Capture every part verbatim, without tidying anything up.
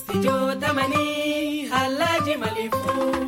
Studio Tamani, halaji malifu.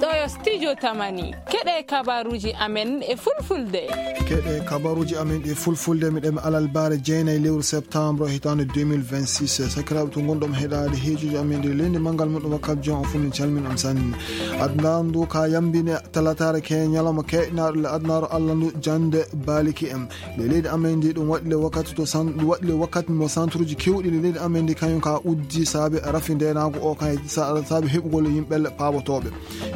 Ɗo yo Studio Tamani. Keɗe kabaruji amen e fulfulde. Keɗe kabaruji amen e fulfulde, miɗen alal bare jeenayi lewru septembre hitaande deux mille vingt-six. Sakiraaɓe to ngonɗon heɗaade heejuji amen ɗi leydi manngal muɗum wakkati jon on fof min calmin on sanne. Aduna ndu ka yambine talataare ke ñalawma keƴnaaɗo le adunaaru Allah ndu jande baliki en. Le leydi amen ndi ɗum waɗi le wakkati to san-, ɗum waɗi le wakkati mo santuruji kewɗi le leydi amen ndi kañum ka uddi saabe rafi ndenaagu o kan sa-, saabe heɓugol yimɓe paabotooɓe.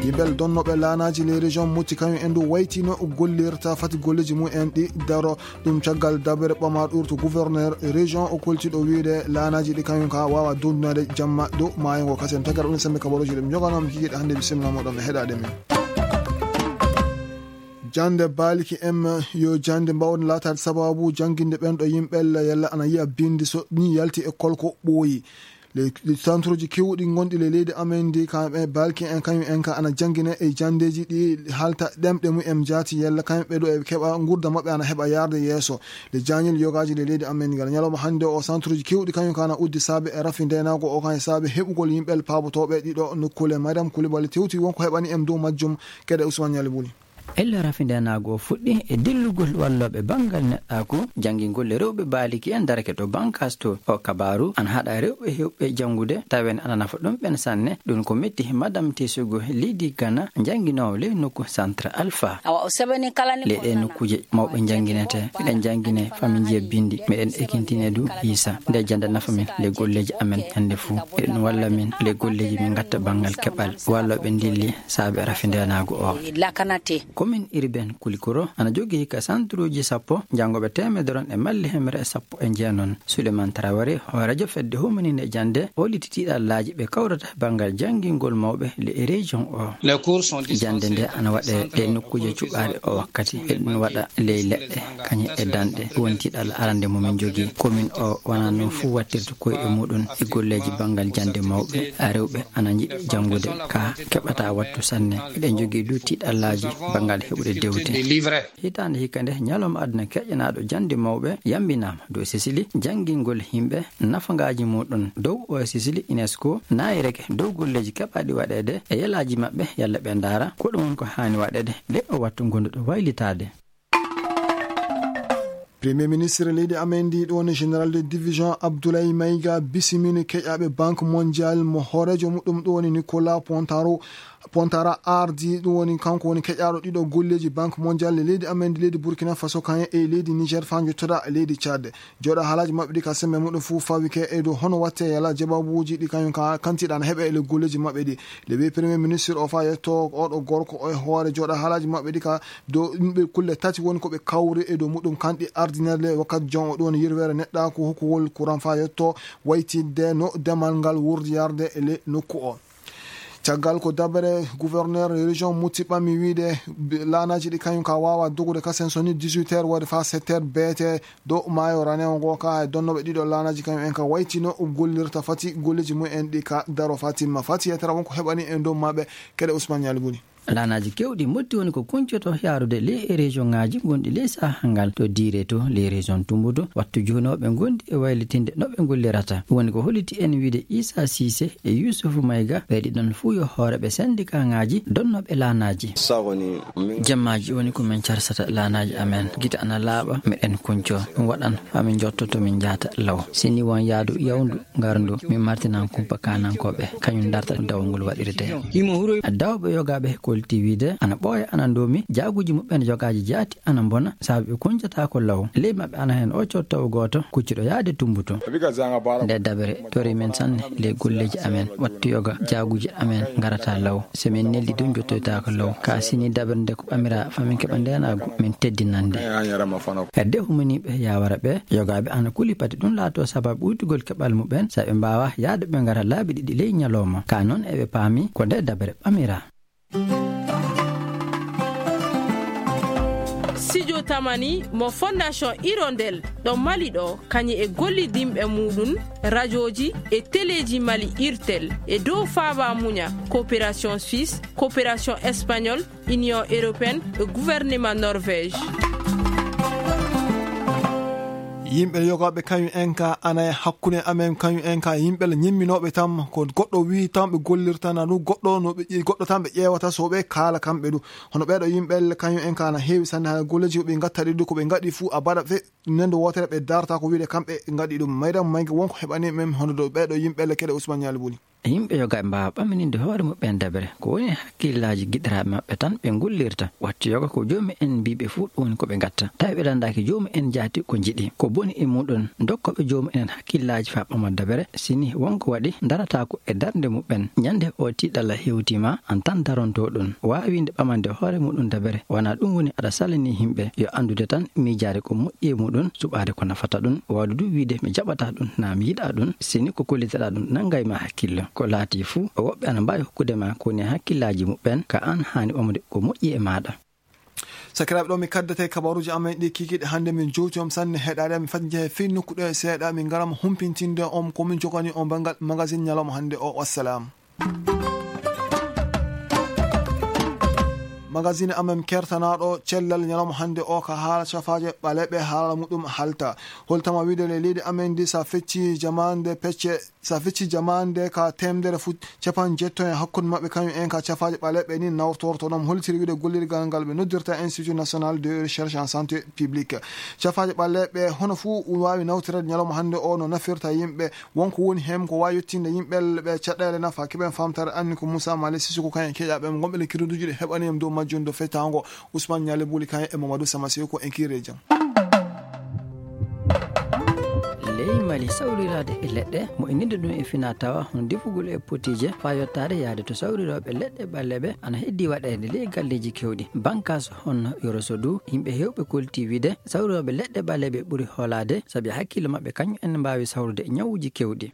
Yimɓe donnooɓe laanaaji les régions mucci kañum en ɗum waytino gollirta fati golleeji mum en ɗi daro ɗum caggal dabere ɓama ɗurto gouverneur région o koltiɗo wiide laanaaji ɗi kañum ka waawa dondunade jamma dow maayo ngo. Kasen tagara ɗum sembe kabaruji ɗum joganoomi kikiɗe hannde bisimilla moɗon e heɗaade men. Jannde baaliki en yo jannde mbawde laataade sababu jannginde ɓen ɗo yimɓe yalla ana yiya binndi so ni yalti e kolko ɓooyi. Le, le santuruji kewɗi gonɗi le leydi amen ndi, kamɓe balki en, kañum en ka ana janngine e janndeeji ɗi halta ɗemɗe mum en jaati, yalla kamɓe ɗo e keɓa ngurda maɓɓe ana heɓa yaarde yeeso. Le jañil yogaaji le leydi amen ndi, ngal ñalawma hannde o, santuruji kewɗi kañum ka ana uddi saabe e rafi ndenaago o, kan e saabe heɓugol yimɓe paabotooɓe ɗiɗo nokkuule. Madame Coulibaly tewti wonko heɓani en dow majjum, kede Ousmane Ñali Buli. Ella rafi ndenaagu o fuɗɗi e dillugol wallooɓe banngal neɗɗaaku, janngingol e rewɓe baaliki en darake to Bankas to. O kabaaru ana haɗa rewɓe heewɓe janngude, tawen ana nafa ɗum ɓen sanne. Ɗum ko metti Madame Tesugo Lidi Gana, jannginoowo ley nokku Centre Alpha. Awa o sebani kala ni le ko ɗee nana nokkuuje mawɓe jannginete. Miɗen janngine fami njiya binndi. Miɗen ekintine du hiisa. Nde jannde nafa min le golleeji amen ñannde fuu. Eɗen walla min le golleeji min ngatta banngal keɓal. Wallooɓe ndilli saabe rafi ndenaagu o. Lakanate. Commune urbaine Kulikoro ana jogii ka santuruuji sappo, janngooɓe teemedere on e malli hemre e sappo e jeenon. Souleymane Traoré, hooreejo fedde humaniinde e jannde, holliti tiiɗallaaji ɓe kawrata banngal janngingol mawɓe le région o. Jannde nde ana waɗee ɗe nokkuuje cuɓaaɗe o wakkati. Eɗen waɗa ley leɗɗe, kañe e danɗe. Ɗum woni tiiɗalla arande mo min jogii. Commune o wonaa noon fuu wattirta koyɗe muɗum e golleeji banngal jannde mawɓe. A rewɓe ana njiɗi janngude ka keɓata wattu sanne. Eɗen jogii du tiiɗallaaji banngal heɓude dewte. Hitaande hikka nde, ñalawma aduna keƴanaaɗo jannde mawɓe yambinaama dow Sicily, janngingol yimɓe nafangaaji muɗum. Dow o Sicily, UNESCO naayireke dow golleeji keɓaaɗi waɗeede e yelaaji maɓɓe, yalla ɓe ndaara ko ɗum woni ko haani waɗeede le o wattu ngonduɗo waylitaade. Premier ministre leydi amen ndi, ɗum woni général de division Abdoulaye Maïga, bisimini keƴaaɓe Banque Mondiale mo hooreejo muɗum, ɗum woni Nicolas Pontaro, Pontara ardi, ɗum woni kanko woni keƴaaɗo ɗiɗo golleeji Banque Mondiale e leydi amen ndi, leydi Burkina Faso, kañum e leydi Niger, faa njottoɗa e leydi Tchad. Jooɗa haalaaji maɓɓe ɗi ka semme muɗum fuu fawike e dow hono watte yala jababuuji ɗi kañum ka kantiɗa na heɓe e le golleeji maɓɓe ɗi. Le ɓe premier ministre o faa yetto oɗo gorko o e hoore jooɗa haalaaji maɓɓe ɗi ka dow yimɓe kulle tati woni ko ɓe kawri e dow muɗum kanɗi ardinerde wakkati jon o ɗum woni yirwere neɗɗaaku hokkugol courant faa yetto waytidde no demal ngal wurdi yarde e le nokku o. Caggal ko dabere gouverneur région muti ɓami wiide laanaaji ɗi kañum ka waawa dogude kasen so ni dix-huit heures waɗi faa sept heures beete dow maayo ranewo ngo ka e donnooɓe ɗiɗo laanaaji kañum en ka wayti no gollirta fati golleeji mum en ɗi ka daro faa timma. Fati yettere wonko heɓani en dow maɓɓe kede Ousmane Ñali Buli. Laanaaji kewɗi motti woni ko kuncoto yaarude ley e région ŋaaji gonɗi ley saha ngal to diire to ley région Tumbutu. Wattu juhnooɓe gonɗi e waylitinde no ɓe gollirata. Ɗum woni ko holliti en wiide Issa Cissé e Youssouf Maïga, ɓe ɗiɗon fuu yo hooreeɓe syndicat ŋaaji donnooɓe laanaaji. Jammaaji woni ko min carsata laanaaji amen. Gite ana laaɓa, miɗen kunco. Ɗum waɗan faa min njotto to min njahata law. Si ni won yaadu yawndu ngarndu, min martinan kumpa kaanankooɓe, kañum darta dawol ngol waɗirte. Dawɓe yogaaɓe kolti wiide ana ɓooya, ana ndoomi, jaaguuji muɓɓen yogaaji jaati ana mbona, sabu ɓe kuncotaako law. Ley maɓɓe ana heen o cottowo gooto kuccuɗo yaade Tumbutu. Nde dabere tori min sanne ley golleeji amen, wattu yoga jaaguuji amen ngarata law. So min neldi du njottoytaako law. Ka sini dabere nde ko ɓamira faa min keɓa ndeenaagu, min teddinande. E de humaniiɓe yawara ɓe, yogaaɓe ana kuli pati ɗum laato sababu ɓuytugol keɓal muɓɓen, so ɓe mbaawa yaade ɓe ngara laabi ɗiɗi ley ñalawma. Ka noon eɓe paami ko nde dabere ɓamira. Studio Tamani mo Fondation Hirondelle ɗo Mali ɗo, kañum e gollidinɓe muɗum, rajooji e teleeji Mali Irtel, e dow faaba muña, coopération suisse, coopération espagnole, Union européenne e gouvernement Norvège. Yimɓe yogaaɓe kañum en ka ana e hakkunde amen, kañum en ka yimɓe la ñimminooɓe tan, ko goɗɗo wii tan ɓe gollirta, na ɗum goɗɗo no ɓe ƴe-, goɗɗo tan ɓe ƴeewata so ɓe kaala kamɓe ɗum. Hono ɓeeɗo yimɓe kañum en ka na heewi sanne, haa golleeji ko ɓe ngatta ɗi ɗum, ko ɓe ngaɗi fuu a baɗa fe nendo wootere ɓe darta ko wiide kamɓe ngaɗi ɗum. Mayram Mayga wonko heɓani men hono ɗo ɓeeɗo yimɓe kede Ousmane Ñaali Buli. Yimɓe yoga ɓe mbaawa ɓammininde hoore muɓɓen dabere. Ko woni e hakkillaaji giɗiraaɓe maɓɓe tan ɓe ngullirta. Wattu yoga ko joomi en mbii ɓe fuu ɗum woni ko ɓe ngatta. Tawi ɓe landaaki joomi en jaati ko njiɗi. Ko boni e muɗum, dokkooɓe joomi en hakkillaaji faa ɓama dabere. Sini wonko waɗi, darataako e darnde muɓɓen. Ñande o tiiɗalla hewtiima, an tan daronto ɗum. Waawinde ɓamande hoore muɗum dabere. Wona ɗum woni aɗa salani yimɓe. Yo anndude tan miijaade ko moƴƴi e muɗum, suɓaade ko nafata ɗum. Waawde du wiide mi jaɓata ɗum, naa mi yiɗa ɗum. Sini ko kolliteɗaa ɗum, nanngay ma hakkille. Ko laati fuu, woɓɓe ana mbaawi hokkude ma ko woni e hakkillaaji muɓɓen, ka an haani ɓamude ko moƴƴi e maaɗa. Sakiraaɓe, ɗo mi kaddete kabaruuji amen ɗi kikiiɗe hannde, min jowti on sanne heɗaade, mi fati njehe fii nokku ɗo e seeɗa, min ngara mo humpintinde on ko min jogani on banngal magazine ñalawma hannde o. Wassalam. Magazine amen kertanaaɗo cellal ñalawma hannde o ka haala cafaaje ɓaleeɓe, haala muɗum halta. Holtama wiide le leydi amen ndi sa fecci jamaande pecce, sa fecci jamaande ka teemedere fu capan jetto e hakkunde maɓɓe kañum en ka cafaaje ɓaleeɓe ni nawtorto ɗon. Holtiri wiide gollirgal ngal ɓe noddirta Institut National de Recherche en Santé Publique. Cafaaje ɓaleeɓe hono fuu waawi nawtirede ñalawma hannde o no nafirta yimɓe. Wonko woni heen ko waawi yettinde yimɓe ɓe caɗeele nafa, keɓen faamtaare anni ko Moussa Malick Sissoko kañum e keƴaaɓe am, ngonɓe le kiruduji ɗe heɓani en dow majjum dow fettaango. Ousmane Ñaali Buli kañum e Mamadou Sama Seko en kiire jam. Ley Mali, sawriraade e leɗɗe, mo inninde ɗum e fina tawa, hono defugol e potiije, faa yottaade yaade to sawrirooɓe leɗɗe ɓaleeɓe, ana heddii waɗeede ley galleeji keewɗi. Bankaas hono Yoroso du, yimɓe heewɓe koltii wiide, sawrirooɓe leɗɗe ɓaleeɓe ɓuri hoolaade, sabi hakkille maɓɓe kañum en mbaawi sawrude ñawuuji keewɗi.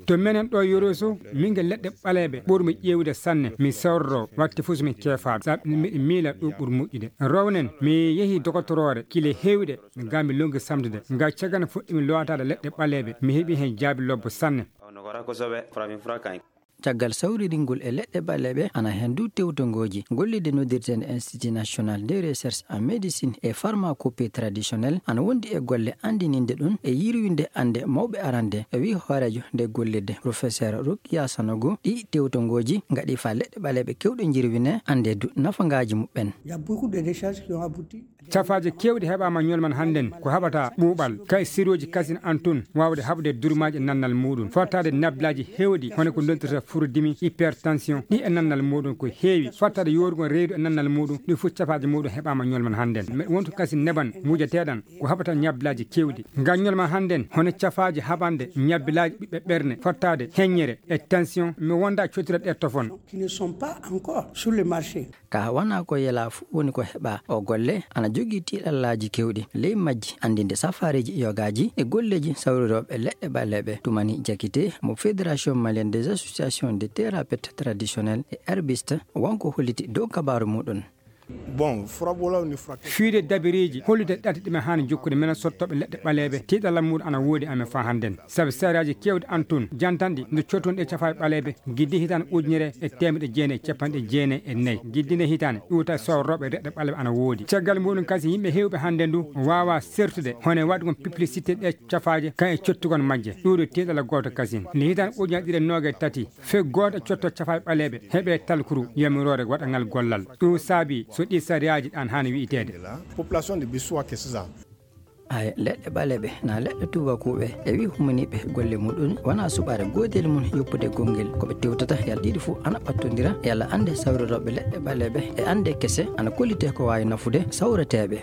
To menen ɗo Yoroso, min nge leɗɗe ɓaleeɓe ɓurmi ƴeewde sanne. Mi sawroro wakti fof so min keefaaɗo, sabi miɗo miila ɗum ɓuri moƴƴude. Rownen, mi yehi dogotoroore kile heewɗe, ga mi longi samdude. Ga caggal fuɗɗimi lootaade leɗɗe ɓaleeɓe, mi heɓi heen jaabi lobbo sanne. Caggal sawriringol e leɗɗe ɓaleeɓe, ana heen du tewtongooji. Gollirde noddirteende Institut National de Recherche en Médecine et Pharmacopée Traditionnelle ana wondi e golle anndininde ɗum e yirwinde annde mawɓe arande, e wi hooreejo nde gollirde, Professeur Rukiya Sanogo. Ɗi tewtongooji ngaɗi faa leɗɗe ɓaleeɓe keewɗe njirwine, annde du nafangaaji muɓɓen. Il y a beaucoup de recherches qui ont abouti. Cafaaje keewɗe heɓaama ñolman hannden ko haɓata ɓuuɓal, ka e sirooji kasin an tun waawde haɓde durmaaji e nannal muuɗum, fottaade nablaaji heewɗi, hono ko ndontirta furudimi, hypertension, ɗi e nannal muuɗum ko heewi, fottaade yoorugol reedu e nannal muuɗum, ɗi fof cafaaje muuɗum heɓaama ñolman hannden. Me wontu kasin neban wujateeɗan ko haɓata ñablaaji keewɗi. Ngam ñolman hannden, hono cafaaje haɓande ñabbilaaji ɓiɓɓe ɓerne, fottaade heññere e tension, mi wonda cottira ɗe tofon. Qui ne sont pas encore sur le marché. Ka wona ko yela fuu woni ko heɓa. O golle ana jogii tiiɗallaaji keewɗi, ley majji anndinde safaareeji yogaaji e golleeji sawrirooɓe leɗɗe ɓaleeɓe. Tumani Jakite mo Fédération Malienne des Associations de Thérapeutes Traditionnels e Herbistes, wonko holliti dow kabaaru muɗum. Bon, furabolaw ni furak- Fiide dabireeji hollude ɗate ɗi men haani jokkude menen sottooɓe leɗɗe ɓaleeɓe, tiiɗalla muɗum ana woodi amen faa hannden. Sabi sariyaaji keewɗi an tun jantanɗi nde cotton ɗe cafaaɓe ɓaleeɓe, giddi hitaande ujunere e teemedde jeenayi e capanɗe jeenayi e nayi. Giddi nde hitaande ɗuuta sawrooɓe leɗɗe ɓaleeɓe ana woodi. Caggal muɗum kasi yimɓe heewɓe hannden du waawaa sertude hono e waɗugol publicité ɗe cafaaje kan e cottugon majje. Ɗuuɗo tiiɗalla gooto kasin. Nde hitaande ujunere ɗiɗi e noogay tati, fee gooto e cotto cafaaɓe ɓaleeɓe heɓe talkuru yamiroore waɗangal gollal. Ɗum saabi so ɗi sariyaaji ɗan haani wi'iteede. Population de Bissau que c'est ça. Ay, leɗɗe ɓaleeɓe na leɗɗe tuubakuuɓe e wi humaniiɓe golle muɗum wona suɓaare goodel mum yoppude gonngel. Ko ɓe tewtata yalla ɗiɗi fof ana ɓattondira, yalla annde sawrirooɓe leɗɗe ɓaleeɓe e annde kese ana kollitee ko waawi nafude sawreteeɓe.